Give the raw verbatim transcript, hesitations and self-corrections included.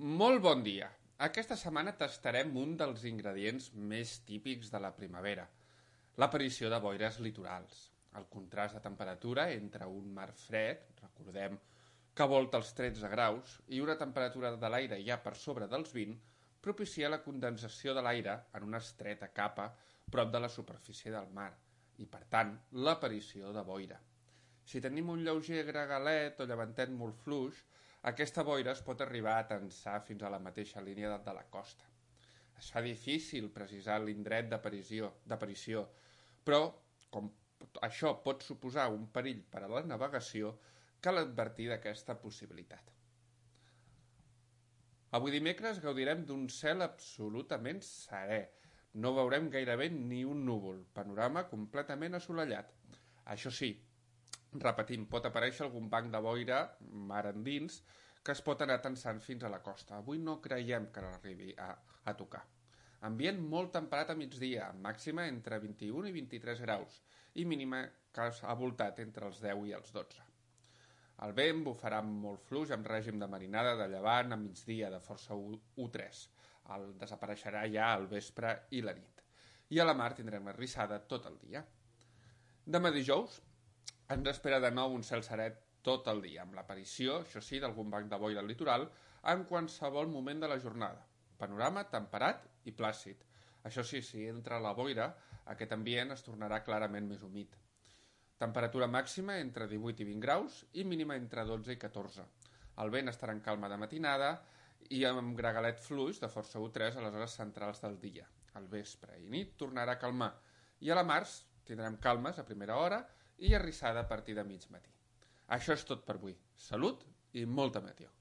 Molt bon dia! Aquesta setmana tastarem un dels ingredients més típics de la primavera, l'aparició de boires litorals. El contrast de temperatura entre un mar fred, recordem que volta els tretze graus, i una temperatura de l'aire ja per sobre dels vint, propicia la condensació de l'aire en una estreta capa prop de la superfície del mar i, per tant, l'aparició de boira. Si tenim un lleuger gregalet o llevantet molt fluix, aquesta boira es pot arribar a tensar fins a la mateixa línia de la costa. Es fa difícil precisar l'indret d'aparició, però com això pot suposar un perill per a la navegació, cal advertir d'aquesta possibilitat. Avui dimecres gaudirem d'un cel absolutament serè. No veurem gairebé ni un núvol, panorama completament assolellat. Això sí, repetim, pot aparèixer algun banc de boira mar endins que es pot anar tensant fins a la costa. Avui no creiem que l'arribi a, a tocar. Ambient molt temperat a migdia, màxima entre vint-i-un i vint-i-tres graus i mínima que ha voltat entre els deu i els dotze. El vent bufarà molt fluix amb règim de marinada de llevant a migdia de força u tres. El desapareixerà ja al vespre i la nit. I a la mar tindrem arrissada tot el dia. Demà dijous ens espera de nou un cel serè tot el dia, amb l'aparició, això sí, d'algun banc de boira al litoral en qualsevol moment de la jornada. Panorama temperat i plàcid. Això sí, si entra la boira, aquest ambient es tornarà clarament més humit. Temperatura màxima entre divuit i vint graus i mínima entre dotze i catorze. El vent estarà en calma de matinada i amb gregalet fluix de força u tres a les hores centrals del dia. Al vespre i nit tornarà a calmar i a la mar tindrem calmes a primera hora i arrissada a partir de mig matí. Això és tot per avui. Salut i molta meteor.